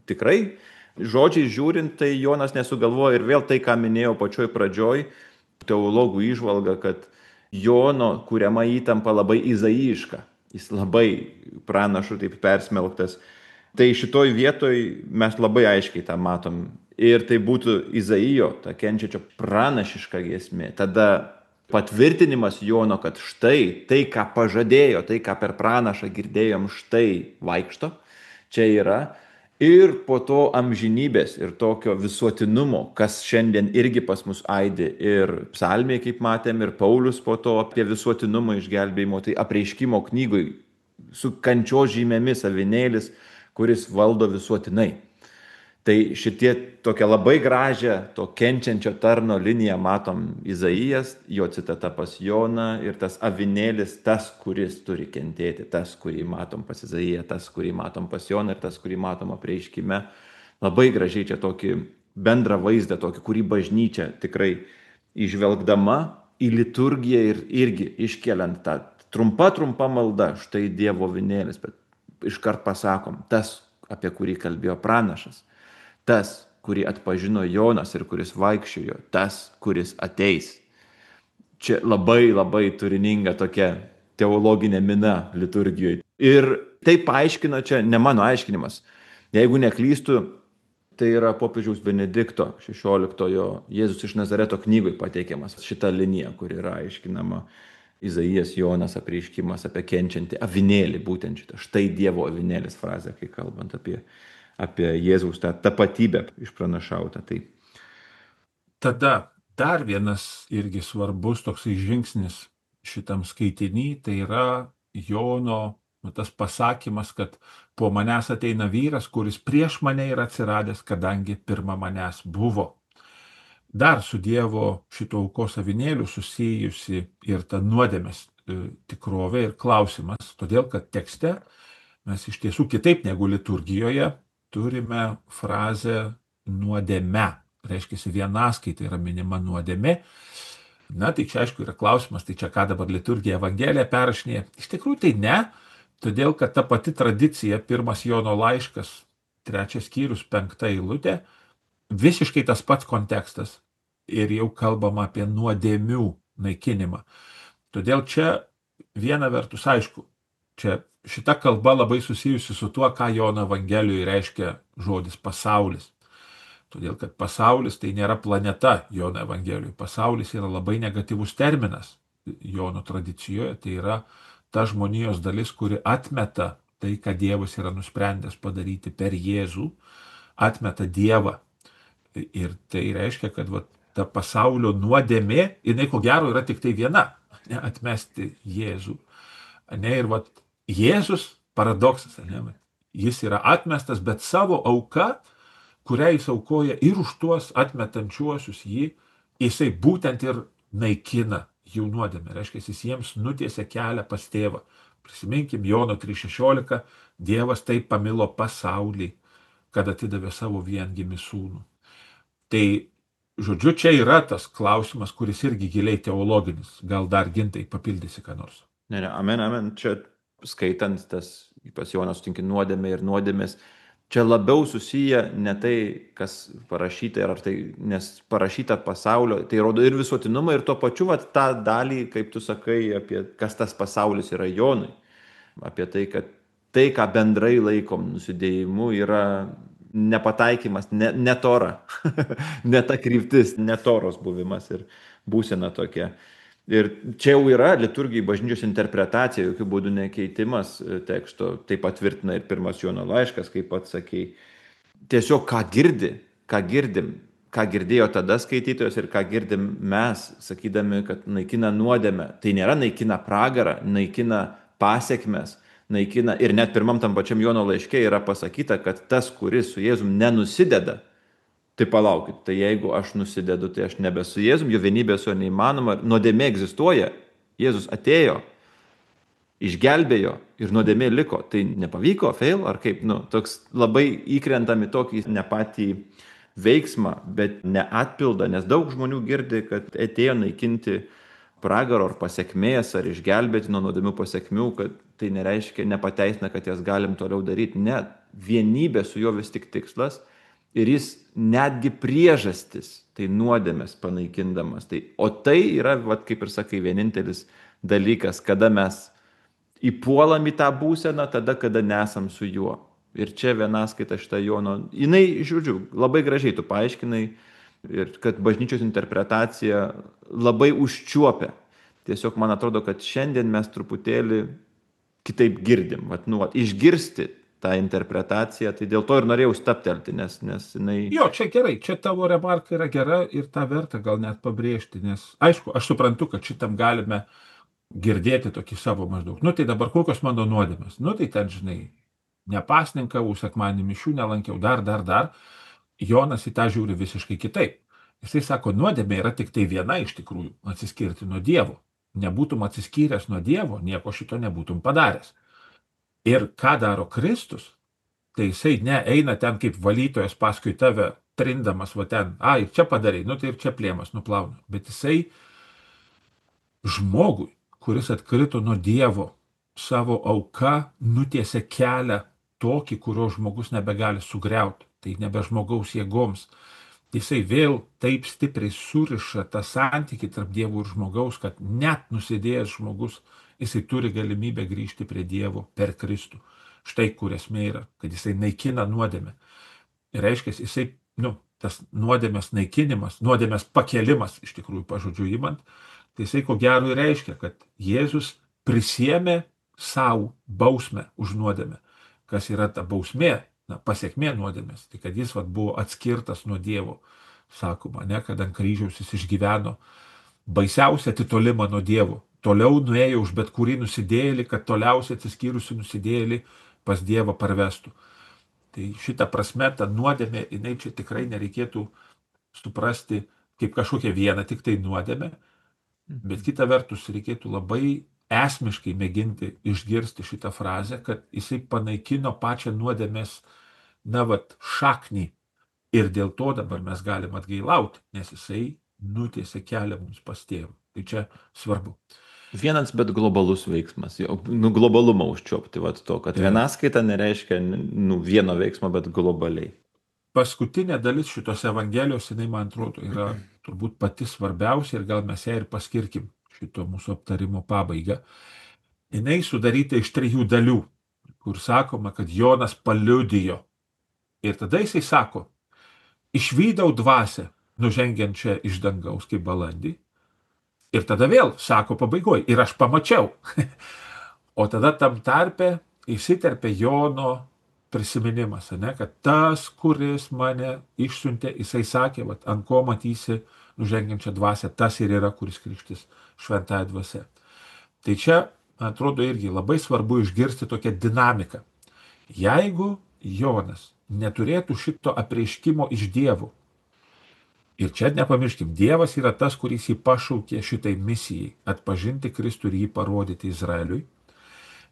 tikrai, žodžiai žiūrint, tai Jonas nesugalvoja ir vėl tai, ką minėjau pačioj pradžioj, teologų įžvalga, kad Jono kuriama įtampa labai izaijiška. Jis labai pranašų taip persmelktas. Tai šitoj vietoj mes labai aiškiai tą matom. Ir tai būtų Izaijo, ta kenčiančio pranašiška giesmė. Tada patvirtinimas Jono, kad štai tai, ką pažadėjo, tai, ką per pranašą girdėjom, štai vaikšto, čia yra. Ir po to amžinybės ir tokio visuotinumo, kas šiandien irgi pas mus aidi ir psalmė, kaip matėm, ir Paulius po to apie visuotinumą išgelbėjimo, tai apreiškimo knygoj su kančios žymėmis avinėlis, kuris valdo visuotinai. Tai šitie tokia labai gražią to kenčiančio tarno liniją matom Izaijas, jo citata pas Joną ir tas avinėlis, tas, kuris turi kentėti, tas, kurį matom pas Izaiją, tas, kurį matom pas Joną ir tas, kurį matom apreiškime. Labai gražiai čia tokį bendrą vaizdą, tokį, kurį bažnyčia tikrai išvelgdama į liturgiją ir irgi iškeliant tą trumpa, trumpa malda, štai Dievo avinėlis, bet iškart pasakom, tas, apie kurį kalbėjo pranašas. Tas, kurį atpažino Jonas ir kuris vaikščiojo, tas, kuris ateis. Čia labai labai turininga tokia teologinė mina liturgijoje. Ir tai paaiškina, čia ne mano aiškinimas. Jeigu neklystu, tai yra popiežiaus Benedikto šešioliktojo Jėzus iš Nazareto knygoj pateikiamas šita linija, kur yra aiškinama Izaijas, Jonas apreiškimas apie kenčiantį avinėlį, būtent šitą. Štai Dievo avinėlis frazė, kai kalbant apie apie Jėzaus tą tapatybę išpranašautą. Tai. Tada dar vienas irgi svarbus toksai žingsnis šitam skaitinį, tai yra Jono nu, tas pasakymas, kad po manęs ateina vyras, kuris prieš mane yra atsiradęs, kadangi pirma manęs buvo. Dar su Dievo šito aukos avinėliu susijusi ir ta nuodėmės e, tikrovė ir klausimas, todėl kad tekste mes iš tiesų kitaip negu liturgijoje turime frazę nuodėme. Reiškia, vienaskaita yra minima nuodėmė. Na, tai čia aišku yra klausimas, tai čia ką dabar liturgija Evangelija perrašinėja. Iš tikrųjų tai ne, todėl kad ta pati tradicija, pirmas Jono laiškas, trečias skyrius, penkta eilutė, visiškai tas pats kontekstas ir jau kalbama apie nuodėmių naikinimą. Todėl čia viena vertus aišku, čia šita kalba labai susijusi su tuo, ką Jono Evangelijoje reiškia žodis pasaulis. Todėl, kad pasaulis tai nėra planeta Jono Evangelijoje. Pasaulis yra labai negatyvus terminas Jono tradicijoje. Tai yra ta žmonijos dalis, kuri atmeta tai, ką Dievas yra nusprendęs padaryti per Jėzų, atmeta Dievą. Ir tai reiškia, kad va, ta pasaulio nuodėmė, jinai ko gero yra tik tai viena, ne, atmesti Jėzų. Ne, ir va, Jėzus, paradoksas, ne, jis yra atmestas, bet savo auka, kurią jis aukoja ir už tuos atmetančiuosius jį, jisai būtent ir naikina jų nuodėmę. Reiškia, jis jiems nutiesia kelią pas tėvą. Prisiminkim Jono trys šešiolika, Dievas taip pamilo pasaulį, kad atidavė savo viengimį sūnų. Tai, žodžiu, čia yra tas klausimas, kuris irgi giliai teologinis. Gal dar Gintai papildysi ką nors? Ne, ne, amen, amen. Čia skaitant tas, pas Jonas sutinki nuodėmė ir nuodėmės, čia labiau susiję ne tai, kas parašyta, ar tai, nes parašyta pasaulio, tai rodo ir visuotinumą, ir tuo pačiu vat, tą dalį, kaip tu sakai, apie kas tas pasaulis yra Jonui. Apie tai, kad tai, ką bendrai laikom nusidėjimu, yra nepataikymas, ne, ne tora, ne ta kryptis, ne toros buvimas ir būsena tokia. Ir čia jau yra liturgijai bažnyčios interpretacija, jokių būdų nekeitimas teksto, tai patvirtina ir pirmas Jono laiškas, kaip pats sakei. Tiesiog ką girdi, ką girdim, ką girdėjo tada skaitytojas ir ką girdim mes, sakydami, kad naikina nuodėmę. Tai nėra naikina pragarą, naikina pasiekmes, naikina ir net pirmam tam pačiam Jono laiške yra pasakyta, kad tas, kuris su Jėzum nenusideda, tai palaukit, tai jeigu aš nusidedu, tai aš nebe su Jėzum, jo vienybė su juo neįmanoma, nuodėmė egzistuoja, Jėzus atėjo, išgelbėjo ir nuodėmė liko, tai nepavyko, fail, ar kaip, nu, toks labai įkrentam į tokį ne patį veiksmą, bet neatpildą, nes daug žmonių girdi, kad atėjo naikinti pragaro ar pasiekmės, ar išgelbėti nuo nuodėmių pasiekmių, kad tai nereiškia, nepateisina, kad jas galim toliau daryti. Ne, vienybė su juo vis tik tikslas ir jis netgi priežastis, tai nuodėmės panaikindamas. Tai, o tai yra, vat, kaip ir sakai, vienintelis dalykas, kada mes įpuolam į tą būseną, tada, kada nesam su juo. Ir čia vienaskaita šitą Jono, jinai, žiūrėjau, labai gražiai tu paaiškinai, ir kad bažnyčios interpretacija labai užčiuopia. Tiesiog man atrodo, kad šiandien mes truputėlį kitaip girdim, vat, nu, vat, išgirsti tą interpretaciją, tai dėl to ir norėjau staptelti, nes, nes jinai... Jo, čia gerai, čia tavo remarka yra gera ir tą vertą gal net pabrėžti, nes aišku, aš suprantu, kad šitam galime girdėti tokį savo maždaug. Nu tai dabar kokios mano nuodėmės? Nu tai ten, žinai, nepasninkavau, sekmadienį mišių nelankiau, dar, dar, dar. Jonas į tą žiūri visiškai kitaip. Jisai sako, nuodėmė yra tik tai viena iš tikrųjų, atsiskirti nuo Dievo. Nebūtum atsiskyręs nuo Dievo, nieko šito nebūtum padaręs. Ir ką daro Kristus? Tai jisai neeina ten kaip valytojas paskui tave, trindamas va ten, ai, čia padarai, nu tai ir čia plėmas nuplauna. Bet jisai žmogui, kuris atkrito nuo Dievo, savo auka nutiesia kelią tokį, kurio žmogus nebegali sugriauti. Tai nebe žmogaus jėgoms. Jisai vėl taip stipriai suriša tą santykį tarp Dievo ir žmogaus, kad net nusidėjęs žmogus, jisai turi galimybę grįžti prie Dievo per Kristų. Štai kur esmė yra, kad jisai naikina nuodėmę. Ir reiškia, jisai, nu, tas nuodėmės naikinimas, nuodėmės pakelimas, iš tikrųjų pažodžiu įmant, tai jisai ko gero ir reiškia, kad Jėzus prisiėmė savo bausmę už nuodėmę. Kas yra ta bausmė, na, pasiekmė nuodėmės, tai kad jis vat, buvo atskirtas nuo Dievo, sakoma, ne, kad ant kryžiaus jis išgyveno baisiausią atitolimą nuo Dievo. Toliau nuėjo už bet kurį nusidėjėlį, kad toliausiai atsiskyrusi nusidėjėlį pas Dievą parvestų. Tai šitą prasme, ta nuodėmė, jinai čia tikrai nereikėtų suprasti kaip kažkokia viena tik tai nuodėmė, bet kita vertus reikėtų labai esmiškai mėginti išgirsti šitą frazę, kad jisai panaikino pačią nuodėmės, na, vat, šaknį ir dėl to dabar mes galim atgailauti, nes jisai nutiesia kelią mums pas Tėvą. Tai čia svarbu. Vienas, bet globalus veiksmas, jau, nu, globalumą užčiuopti, vat, to, kad vienaskaita nereiškia nu, vieno veiksmo, bet globaliai. Paskutinė dalis šitos evangelijos, jinai, man atrodo, yra turbūt pati svarbiausia ir gal mes ją ir paskirkim šito mūsų aptarimo pabaigą. Jinai sudaryta iš trijų dalių, kur sakoma, kad Jonas paliudijo. Ir tada jisai sako, išvydau dvasią, nužengiančią iš dangaus kaip balandį. Ir tada vėl sako pabaigoj, ir aš pamačiau. O tada tam tarpe įsiterpė Jono prisiminimas, ne, kad tas, kuris mane išsiuntė, jisai sakė, vat, ant ko matysi nužengiančią dvasią, tas ir yra, kuris krikštys šventąja dvasia. Tai čia, atrodo, irgi labai svarbu išgirsti tokią dinamiką. Jeigu Jonas neturėtų šito apreiškimo iš Dievo, ir čia nepamirškim, Dievas yra tas, kuris jį pašaukė šitai misijai atpažinti Kristų ir jį parodyti Izraeliui.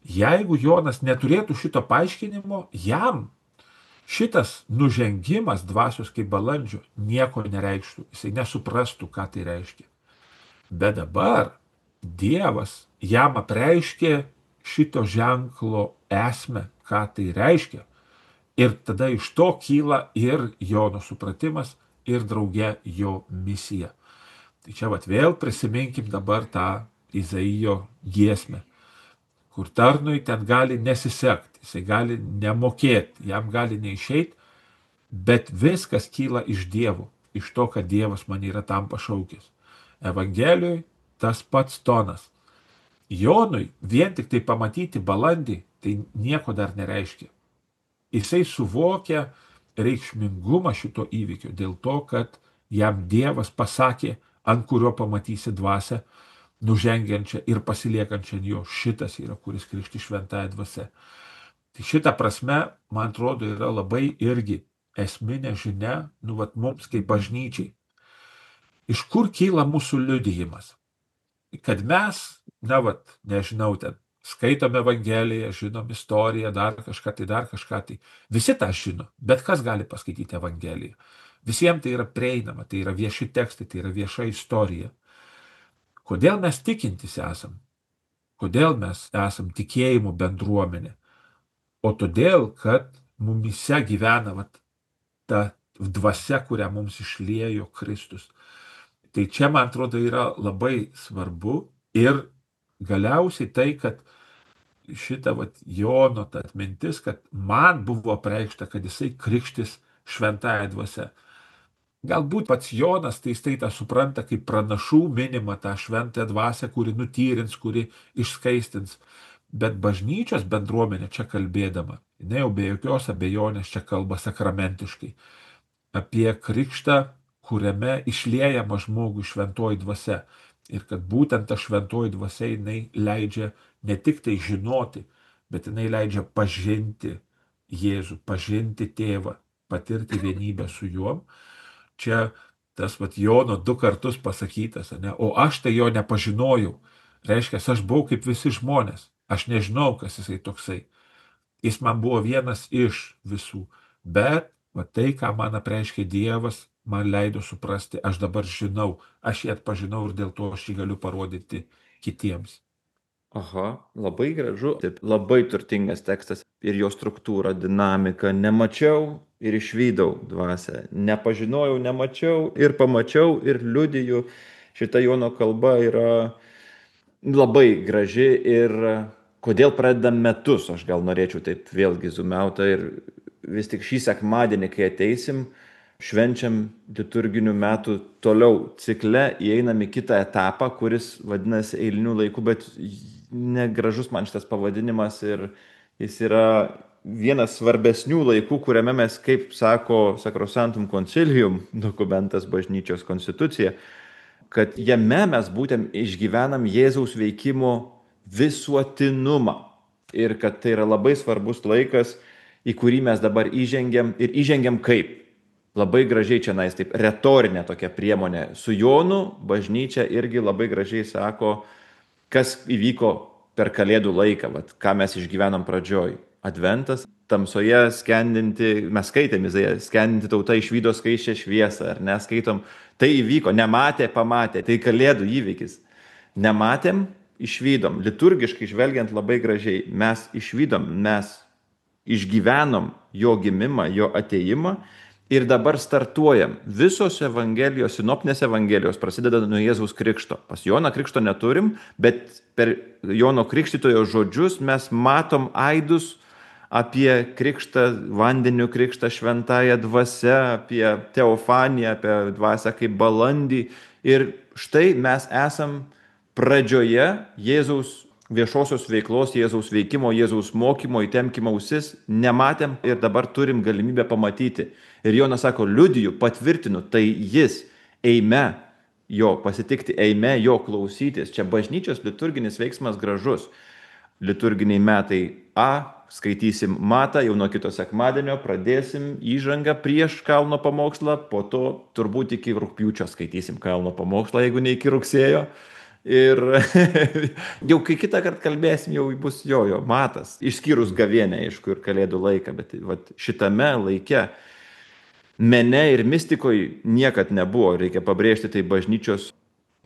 Jeigu Jonas neturėtų šito paaiškinimo, jam šitas nužengimas dvasios kaip balandžio nieko nereikštų, jisai nesuprastų, ką tai reiškia. Bet dabar Dievas jam apreiškė šito ženklo esmę, ką tai reiškia. Ir tada iš to kyla ir Jono supratimas, ir drauge jo misija. Tai čia vat vėl prisiminkim dabar tą Izaijo giesmę, kur tarnui ten gali nesisekti, jisai gali nemokėti, jam gali neišeiti, bet viskas kyla iš Dievo, iš to, kad Dievas mane yra tam pašaukęs. Evangelijoje tas pats tonas. Jonui vien tik tai pamatyti balandį, tai nieko dar nereiškia. Jisai suvokia reikšmingumą šito įvykio dėl to, kad jam Dievas pasakė, ant kurio pamatysi dvasią, nužengiančią ir pasiliekančią ant jo. Šitas yra, kuris krikšti šventąją dvasią. Tai šita prasme, man atrodo, yra labai irgi esminė žinia, nu, vat, mums kaip bažnyčiai. Iš kur kyla mūsų liudijimas? Kad mes, na, vat, nežinau, ten, skaitom Evangeliją, žinom istoriją, dar kažką tai, dar kažką tai. Visi tą žino, bet kas gali paskaityti Evangeliją? Visiems tai yra prieinama, tai yra vieši tekstai, tai yra vieša istorija. Kodėl mes tikintis esam? Kodėl mes esam tikėjimo bendruomenė? O todėl, kad mumise gyvena vat, ta dvasia, kurią mums išliejo Kristus. Tai čia, man atrodo, yra labai svarbu ir galiausiai tai, kad šita vat, Jono ta atmintis, kad man buvo apreikšta, kad jisai krikštis šventąją dvasią. Galbūt pats Jonas tai jisai tą supranta kaip pranašų minimą tą šventąją dvasią, kuri nutyrins, kuri išskaistins. Bet bažnyčios bendruomenė čia kalbėdama, jinai jau be jokios abejonės čia kalba sakramentiškai apie krikštą, kuriame išliejama žmogui šventoji dvasia. Ir kad būtent ta šventoji dvasia jinai leidžia ne tik tai žinoti, bet jinai leidžia pažinti Jėzų, pažinti tėvą, patirti vienybę su juom. Čia tas vat Jono du kartus pasakytas, ne? O aš tai jo nepažinojau. Reiškia, aš buvau kaip visi žmonės. Aš nežinau, kas jisai toksai. Jis man buvo vienas iš visų. Bet va, tai, ką man apreiškė Dievas, man leido suprasti, aš dabar žinau, aš jį atpažinau ir dėl to aš jį galiu parodyti kitiems. Aha, labai gražu. Taip, labai turtingas tekstas ir jo struktūra, dinamika. Nemačiau ir išvydau dvasią. Nepažinojau, nemačiau ir pamačiau ir liudiju. Šita Jono kalba yra labai graži ir kodėl pradedam metus, aš gal norėčiau taip vėlgi zumiauta ir vis tik šį sekmadienį, kai ateisim, švenčiam liturginių metų toliau cikle, įeinam į kitą etapą, kuris vadinasi eilinių laikų, bet negražus man šitas pavadinimas ir jis yra vienas svarbesnių laikų, kuriame mes, kaip sako Sacrosanctum Concilium, dokumentas bažnyčios konstitucija, kad jame mes būtent išgyvenam Jėzaus veikimo visuotinumą ir kad tai yra labai svarbus laikas, į kurį mes dabar įžengiam ir įžengiam kaip? Labai gražiai čia nais, taip, retorinė tokia priemonė. Su Jonu bažnyčia irgi labai gražiai sako, kas įvyko per Kalėdų laiką, vat, ką mes išgyvenam pradžioj. Adventas, tamsoje skendinti, mes skaitėm, skendinti tauta išvydo skaisčią šviesą, ar neskaitom, tai įvyko, nematė, pamatė, tai Kalėdų įvykis. Nematėm, išvydom, liturgiškai žvelgiant labai gražiai, mes išvydom, mes išgyvenom jo gimimą, jo atėjimą ir dabar startuojam. Visos evangelijos, sinoptinės evangelijos prasideda nuo Jėzaus krikšto. Pas Joną krikšto neturim, bet per Jono krikštytojo žodžius mes matom aidus apie krikštą, vandeniu krikštą šventąją dvasią, apie teofaniją, apie dvasią kaip balandį. Ir štai mes esam pradžioje Jėzaus viešosios veiklos, Jėzaus veikimo, Jėzaus mokymo, įtemkimo ausis, nematėm ir dabar turim galimybę pamatyti. Ir Jonas sako, liudiju, patvirtinu, tai jis, eime jo pasitikti, eime jo klausytis. Čia bažnyčios liturginis veiksmas gražus. Liturginiai metai A, skaitysim matą, jau nuo kito sekmadienio pradėsim įžangą prieš kalno pamokslą, po to turbūt iki rugpjūčio skaitysim kalno pamokslą, jeigu ne iki rugsėjo. Ir jau kai kitą kartą kalbėsim, jau bus jo, jo matas, išskyrus gavėnę, aišku, ir Kalėdų laiką, bet vat, šitame laike mene ir mistikoje niekad nebuvo, reikia pabrėžti, tai bažnyčios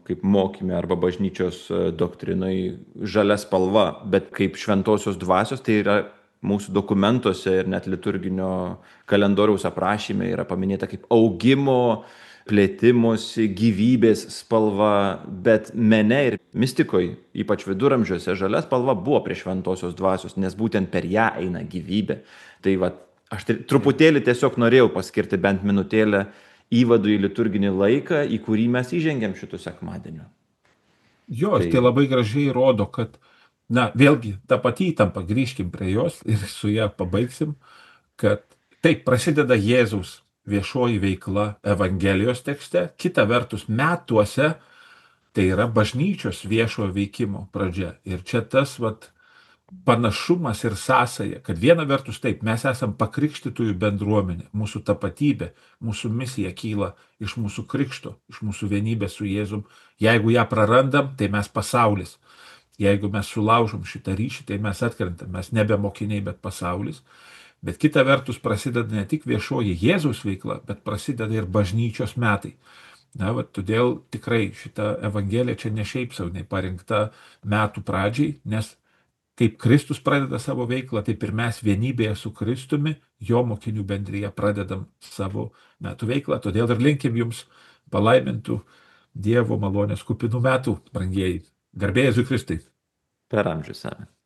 kaip mokyme arba bažnyčios doktrinai žalia spalva, bet kaip šventosios dvasios, tai yra mūsų dokumentuose ir net liturginio kalendoriaus aprašyme yra paminėta kaip augimo, plėtimosi, gyvybės spalva, bet mene ir mistikoje, ypač viduramžiuose, žalia spalva buvo prie šventosios dvasios, nes būtent per ją eina gyvybė. Tai va, Aš tai truputėlį tiesiog norėjau paskirti bent minutėlę įvadų į liturginį laiką, į kurį mes įžengėm šitų sekmadienių. Jo, Tai tai labai gražiai rodo, kad, na, vėlgi, ta pati įtampa, grįžkim prie jos ir su ją pabaigsim, kad taip prasideda Jėzaus viešoji veikla Evangelijos tekste, kita vertus metuose tai yra bažnyčios viešojo veikimo pradžia. Ir čia tas, vat, panašumas ir sąsaja, kad viena vertus taip, mes esam pakrikštytųjų bendruomenė, mūsų tapatybė, mūsų misija kyla iš mūsų krikšto, iš mūsų vienybės su Jėzum. Jeigu ją prarandam, tai mes pasaulis. Jeigu mes sulaužom šitą ryšį, tai mes atkrentam, mes nebe mokiniai, bet pasaulis. Bet kita vertus prasideda ne tik viešoji Jėzaus veikla, bet prasideda ir bažnyčios metai. Na, va, todėl tikrai šita Evangelija čia ne šiaip sau parinkta metų pradžiai, nes kaip Kristus pradeda savo veiklą, taip ir mes vienybėje su Kristumi, jo mokinių bendryje pradedam savo metų veiklą. Todėl ir linkim jums palaimintų Dievo malonės kupinų metų, brangieji. Garbė Jėzui Kristui. per amžius. Amen.